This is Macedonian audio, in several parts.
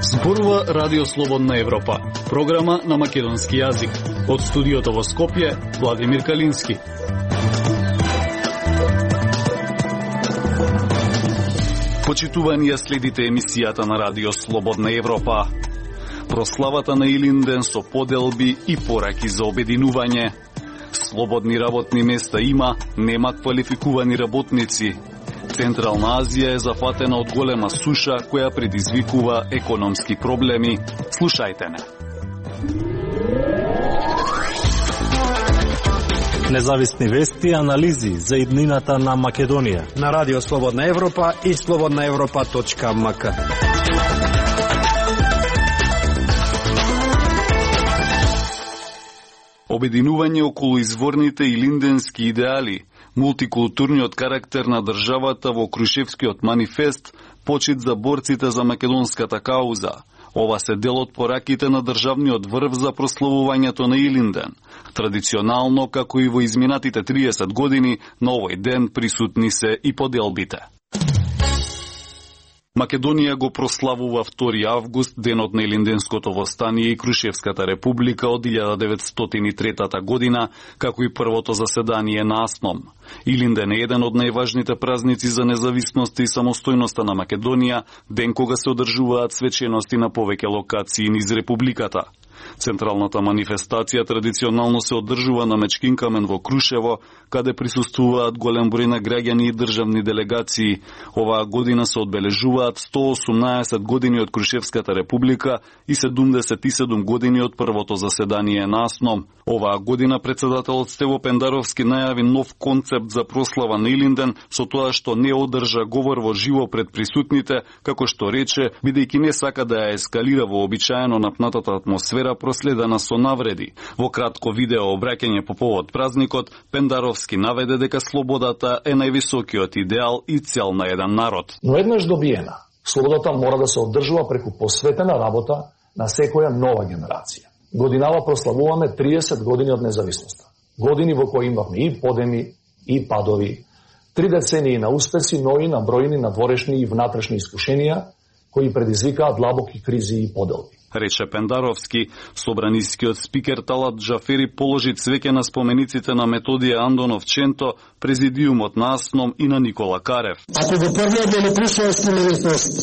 Зборува Радио Слободна Европа, програма на македонски јазик. Од студиото во Скопје, Владимир Калински. Почитувани ја следите емисијата на Радио Слободна Европа. Прославата на Илинден со поделби и пораки за обединување. Слободни работни места има, нема квалификувани работници. Централна Азија е зафатена од голема суша која предизвикува економски проблеми. Слушајте не. Независни вести и анализи за иднината на Македонија на Радио Слободна Европа и slobodnaevropa.mk. Обединување околу изворните илинденски идеали, мултикултурниот карактер на државата во Крушевскиот манифест, почит за борците за македонската кауза. Ова се дел од пораките на државниот врв за прославувањето на Илинден. Традиционално, како и во изминатите 30 години, на овој ден присутни се и поделбите. Македонија го прославува 2 август, денот на Илинденското востание и Крушевската република од 1903 година, како и првото заседание на АСНОМ. Илинден е еден од најважните празници за независноста и самостојноста на Македонија, ден кога се одржуваат свечености на повеќе локации низ републиката. Централната манифестација традиционално се одржува на Мечкин камен во Крушево, каде присуствуваат голем број на граѓани и државни делегации. Оваа година се одбележуваат 118 години од Крушевската република и 77 години од првото заседание на АСНОМ. Оваа година председателот Стево Пендаровски најави нов концепт за прослава на Илинден со тоа што не одржа говор во живо пред присутните, како што рече, бидејќи не сака да ја ескалира вообичаено напнатата атмосфера проследена со навреди. Во кратко видео обраќање по повод празникот, Пендаровски наведе дека слободата е највисокиот идеал и цел на еден народ. Но еднаш добиена, слободата мора да се одржува преку посветена работа на секоја нова генерација. Годинава прославуваме 30 години од независноста. Години во кои имавме и подеми, и падови, 3 децении на успеси, но и на бројни надворешни и внатрешни искушенија, кои предизвикаат длабоки кризи и поделби. Рече Пендаровски. Собранискиот спикер Талат Джафери положи цвеќе на спомениците на Методија Андонов Ченто, президиумот на АСНОМ и на Никола Карев. Ако го погледнеме Крушевски манифест,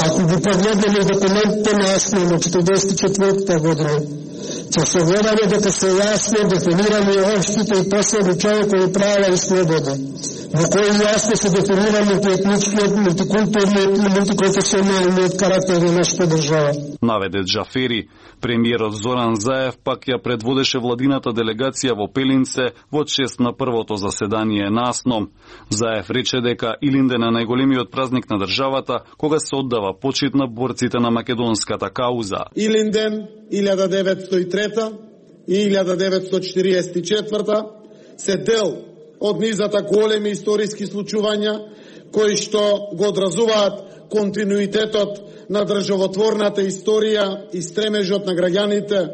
ако го погледнеме документите на АСНОМ од 1944 година, ќе се гледаме дека се јасно дефинирани општите и последни човекови права и слободи, во кои јасно се дефинирани етничкиот, мултикултурниот и мултиконфесионалниот карактер на нашата држава. Наведе Джафери. Премиерот Зоран Заев пак ја предводеше владината делегација во Пелинце во чест на првото заседание на АСНОМ. Заев рече дека Илинден е најголемиот празник на државата, кога се оддава почит на борците на македонската кауза. Илинден 1903 и 1944 се дел од низата големи историски случувања кои што го одразуваат континуитетот на државотворната историја и стремежот на граѓаните,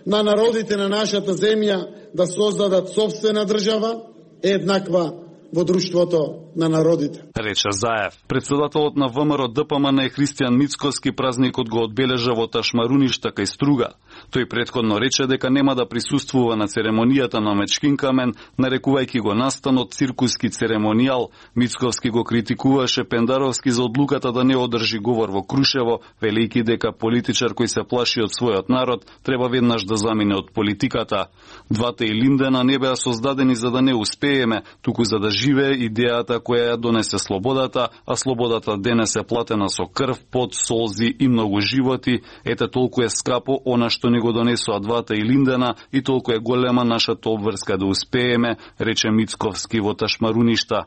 на народите на нашата земја да создадат собствена држава, еднаква во друштвото на народите. Рече Заев. Председателот на ВМРО ДПМН Христијан Мицкоски празникот го одбележа во Ташмаруништа кај Струга. Тој претходно рече дека нема да присуствува на церемонијата на Мечкин камен, нарекувајќи го настанот циркуски церемонијал. Мицковски го критикуваше Пендаровски за одлуката да не одржи говор во Крушево, велејќи дека политичар кој се плаши од својот народ треба веднаш да замине од политиката. Двата Илиндена не беа создадени за да не успееме, туку за да живее идејата која ја донесе слободата, а слободата денес е платена со крв, пот, солзи и многу животи. Ете толку е скапо она што ни го донесоа двата Илиндена и толку е голема нашата обврска да успееме, рече Мицковски во Ташмаруништа.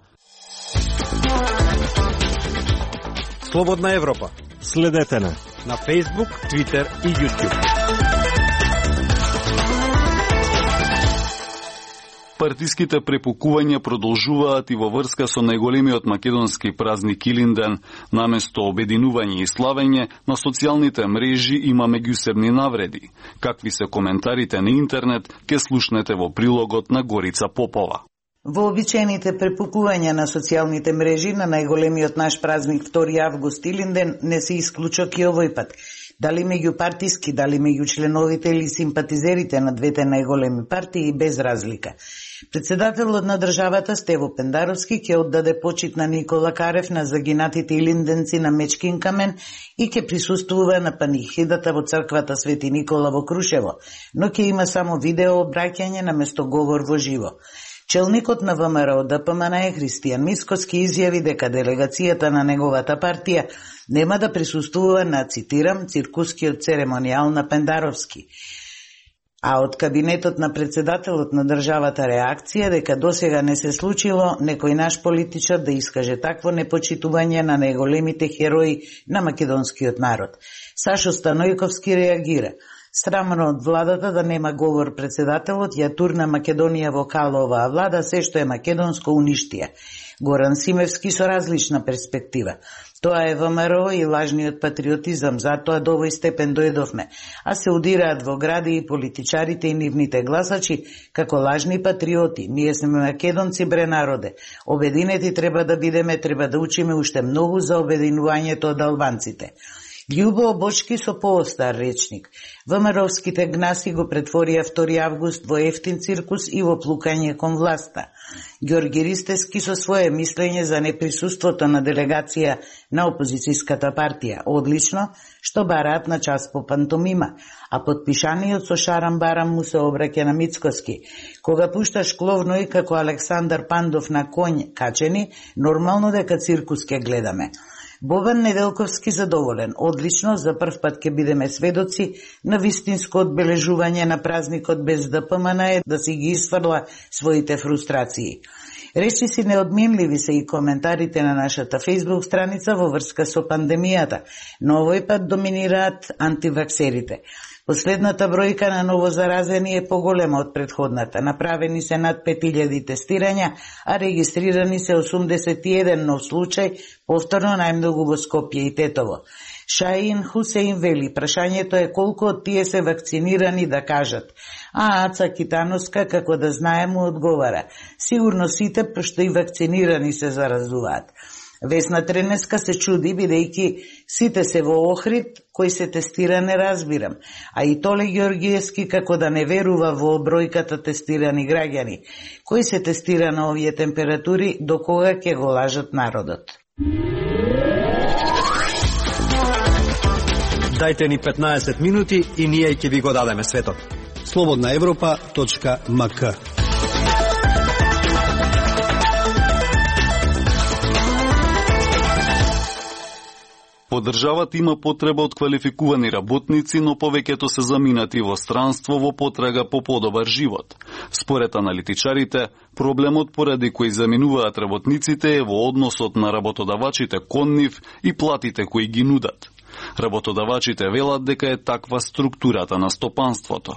Слободна Европа. Следете на Facebook, Twitter и YouTube. Партиските препукувања продолжуваат и во врска со најголемиот македонски празник Илинден. Наместо обединување и славење, на социјалните мрежи има меѓусебни навреди. Какви се коментарите на интернет, ке слушнете во прилогот на Горица Попова. Вообичаените препукувања на социјалните мрежи на најголемиот наш празник 2 август Илинден не се исклучок и овој пат. Дали меѓу партиски, дали меѓу членовите или симпатизерите на двете најголеми партии, без разлика. Председателот на државата Стево Пендаровски ќе оддаде почит на Никола Карев на загинатите илинденци на Мечкин камен и ќе присуствува на панихидата во црквата Свети Никола во Крушево, но ќе има само видео обраќање наместо говор во живо. Челникот на ВМРО ДПМН Христијан Мицкоски изјави дека делегацијата на неговата партија нема да присуствува на, цитирам, циркускиот церемонијал на Пендаровски. А од кабинетот на председателот на државата реакција дека досега не се случило некој наш политичар да искаже такво непочитување на најголемите херои на македонскиот народ. Сашо Станојковски реагира. Срамно од владата да нема говор председателот, ја турна Македонија во кало оваа влада, се што е македонско уништија. Горан Симевски со различна перспектива. Тоа е ВМРО и лажниот патриотизам, затоа до овој степен дојдовме, а се удираат во гради и политичарите и нивните гласачи како лажни патриоти. Ние сме македонци, бре народе. Обединети треба да бидеме, треба да учиме уште многу за обединувањето од албанците. Љубо Бочки со поостар речник. ВМРО-вските гнаси го претворија 2 август во ефтин циркус и во плукање кон власта. Ѓорги Ристевски со свое мислење за неприсуството на делегација на опозицијската партија. Одлично, што бараат на час по пантомима, а подпишаниот со шарам барам му се обраќа на Мицкоски. Кога пушташ кловно и како Александар Пандов на конј качени, нормално дека циркус ке гледаме. Бобан Неделковски задоволен. Одлично, за прв пат ќе бидеме сведоци на вистинско одбележување на празникот без ДПМН да си ги исфрла своите фрустрации. Речиси неодминливи се и коментарите на нашата фејсбук страница во врска со пандемијата, но овој пат доминираат антиваксерите. Последната бројка на новозаразени е поголема од предходната. Направени се над 5000 тестирања, а регистрирани се 81 нов случај, повторно најмногу во Скопје и Тетово. Шаин Хусеин вели, прашањето е колку од тие се вакцинирани да кажат. А Аца Китановска, како да знае, му одговара. Сигурно сите, пошто и вакцинирани се заразуваат. Весна Тренеска се чуди, бидејќи сите се во Охрид, кој се тестира не разбирам. А и Толе Ѓоргиевски како да не верува во бројката тестирани граѓани. Кој се тестира на овие температури, до кога ќе го лажат народот? Дајте ни 15 минути и ние ќе ви го дадеме светот. slobodnaevropa.mk. По државата има потреба од квалификувани работници, но повеќето се заминати во странство во потрага по подобар живот. Според аналитичарите, проблемот поради кој заминуваат работниците е во односот на работодавачите кон нив и платите кои ги нудат. Работодавачите велат дека е таква структурата на стопанството.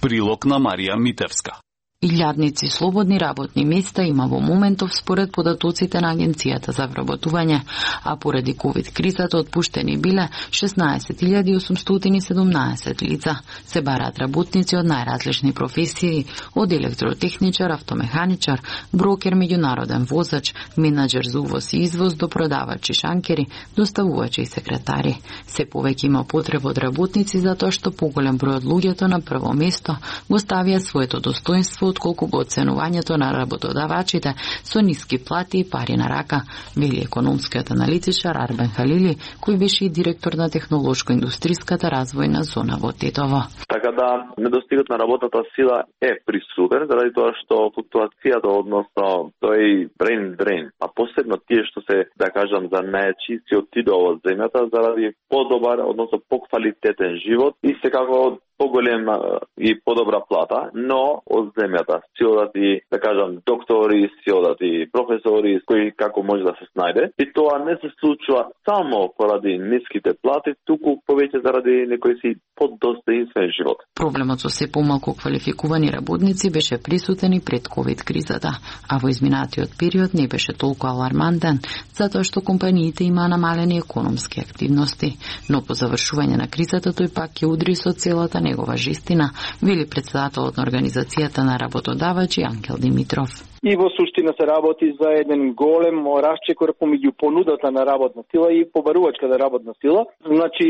Прилог на Марија Митевска. Илјадници слободни работни места има во моментов според податоците на Агенцијата за вработување, а поради ковид-кризата отпуштени биле 16.817 лица. Се бараат работници од најразлични професии, од електротехничар, автомеханичар, брокер, меѓународен возач, менаџер за увоз и извоз до продавачи шанкери, доставувачи и секретари. Се повеќе има потреба од работници затоа што поголем број од луѓето на прво место го ставија своето достоинство отколку го оценувањето на работодавачите со ниски плати и пари на рака, вели економскиот аналитичар Арбен Халили, кој беше и директор на технолошко-индустријската развојна зона во Тетово. Така да, недостигот на работната сила е присутен, заради тоа што флуктуацијата, односно тој брейн дрейн, а посебно тие што се, да кажам, за најчисти отидоа од земјата заради подобар, односно поквалитетен живот и секако поголема и подобра плата, но од земјата си одат и, да кажам, доктори, си одат и професори, кои како може да се снајде. И тоа не се случува само поради ниските плати, туку повеќе заради некој си подостоинствен живот. Проблемот со се помалку квалификувани работници беше присутен и пред ковид-кризата, а во изминатиот период не беше толку алармантен, затоа што компаниите имаа намалени економски активности. Но по завршување на кризата тој пак ќе удри со целата негова жестина, вели председателот на Организацијата на работодавачи Ангел Димитров. и во суштина се работи за еден голем расчекор помеѓу понудата на работна сила и побарувачката работна сила. Значи,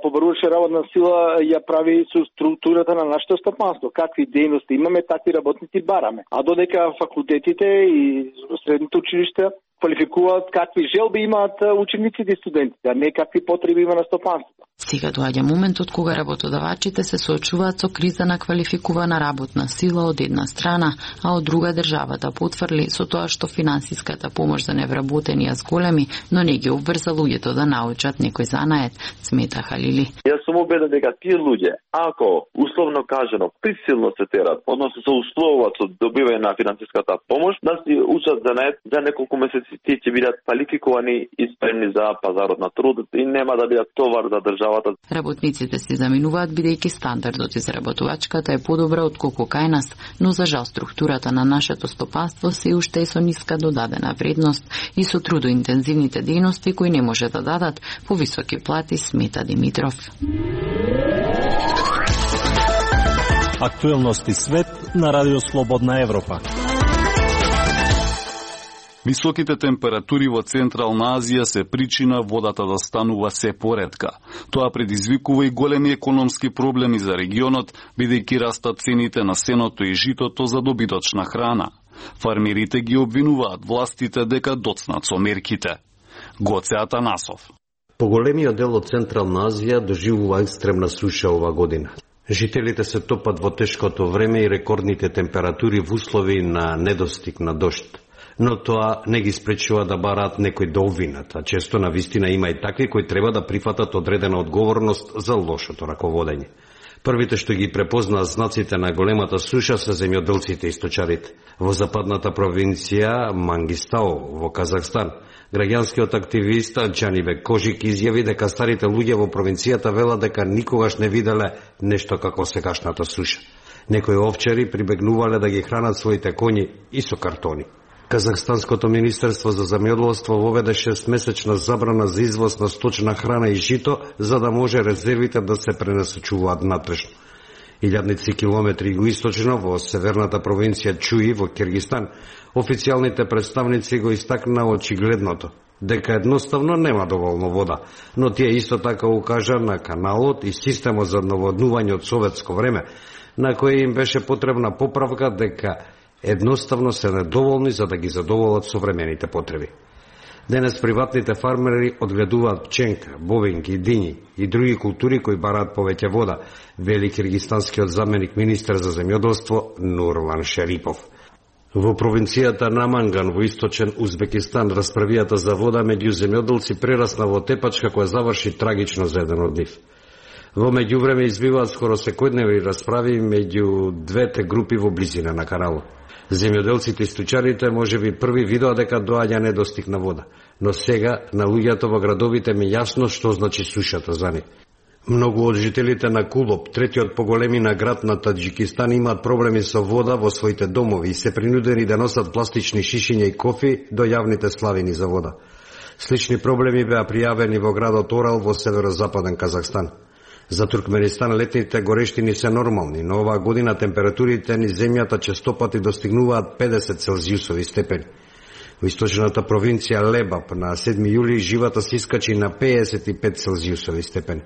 побарувачка работна сила ја прави со структурата на нашето стопанство. Какви дејности имаме, такви работници бараме. А додека факултетите и средните училишта квалификуваат какви желби имаат учениците и студентите, а не какви потреби има на стопанството. Сега доаѓа моментот кога работодавачите се соочуваат со криза на квалификувана работна сила од една страна, а од друга државата потврли со тоа што финансиската помош за невработени е зголеми, но не ги обврза луѓето да научат некој занает, смета Халили. Јас сум убеден дека тие луѓе, ако условно кажано присилно се терат, односно се условуваат со добивање на финансиската помош, да си учат занает, за неколку месеци тие ќе бидат квалификувани и спремни за пазарот на труд и нема да бидат товар за државата. Работниците се заминуваат бидејќи стандардот изработувачката е подобра отколку кај нас, но за жал структурата на нашето стопанство се уште е со ниска додадена вредност и со трудоинтензивните дејности кои не може да дадат повисоки плати, смета Димитров. Актуелности свет на Радио Слободна Европа. Високите температури во Централна Азија се причина водата да станува се поретка. Тоа предизвикува и големи економски проблеми за регионот, бидејќи растат цените на сеното и житото за добиточна храна. Фармерите ги обвинуваат властите дека доцнат со мерките. Гоце Атанасов. Поголемиот дел од Централна Азија доживува екстремна суша ова година. Жителите се топат во тешкото време и рекордните температури во услови на недостиг на дожд. Но тоа не ги спречува да бараат некој да обвинат, а често на вистина има и такви кои треба да прифатат одредена одговорност за лошото раководење. Првите што ги препознаат знаците на големата суша се земјоделците и сточарите. Во западната провинција Мангистау во Казахстан, граѓанскиот активист Джанибек Кожик изјави дека старите луѓе во провинцијата велат дека никогаш не виделе нешто како сегашната суша. Некои овчари прибегнувале да ги хранат своите коњи и со картони. Казахстанското министерство за земјоделство воведе 6-месечна забрана за извоз на сточна храна и жито, за да може резервите да се пренасочуваат натрешно. Илјадници километри југоисточно во северната провинција Чуи во Киргистан, официјалните представници го истакнаа очигледното, дека едноставно нема доволно вода, но тие исто така укажа на каналот и системот за наводнување од советско време, на кој им беше потребна поправка дека едноставно се недоволни за да ги задоволат современите потреби. Денес приватните фармери одгледуваат пченка, бовинки, дињи и други култури кои бараат повеќе вода, вели киргистанскиот заменик министер за земјоделство Нурлан Шерипов. Во провинцијата Наманган во источен Узбекистан расправијата за вода меѓу земјоделци прерасна во тепачка која заврши трагично за еден од нив. Во меѓувреме избиваат скоро секојдневни расправи меѓу двете групи во близина на каналот. Земјоделците и стучарите можеби први видоа дека доаѓа недостиг на вода, но сега на луѓето во градовите ми јасно што значи сушата за нив. Многу од жителите на Кулоп, третиот поголемина град на Таџикистан, имаат проблеми со вода во своите домови и се принудени да носат пластични шишиња и кофи до јавните славини за вода. Слични проблеми беа пријавени во градот Орал во северозападен Казахстан. За Туркменистан летните горештини се нормални, но оваа година температурите низ земјата честопати достигнуваат 50 целзиусови степени. Во источната провинција Лебаб на 7 јули живата се искачи на 55 целзиусови степени.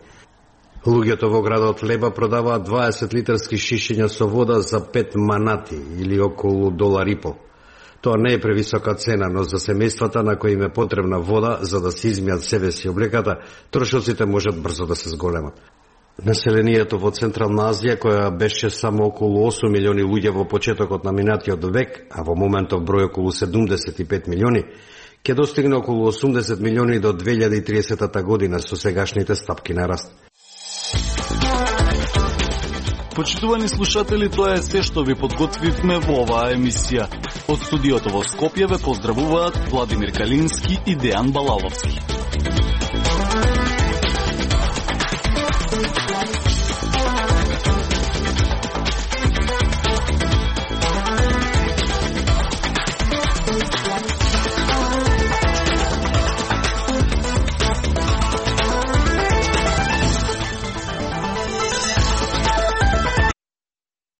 Луѓето во градот Леба продаваат 20 литарски шишиња со вода за 5 манати или околу $1,5. Тоа не е превисока цена, но за семејствата на кои им е потребна вода за да се измијат себе си облеката, трошоците можат брзо да се зголемат. Населението во Централна Азија, која беше само околу 8 милиони луѓе во почетокот на минатиот век, а во моментов број околу 75 милиони, ќе достигне околу 80 милиони до 2030 година со сегашните стапки на раст. Почитувани слушатели, тоа е се што ви подготвивме во оваа емисија. Од студиото во Скопје ве поздравуваат Владимир Калински и Дејан Балаловски.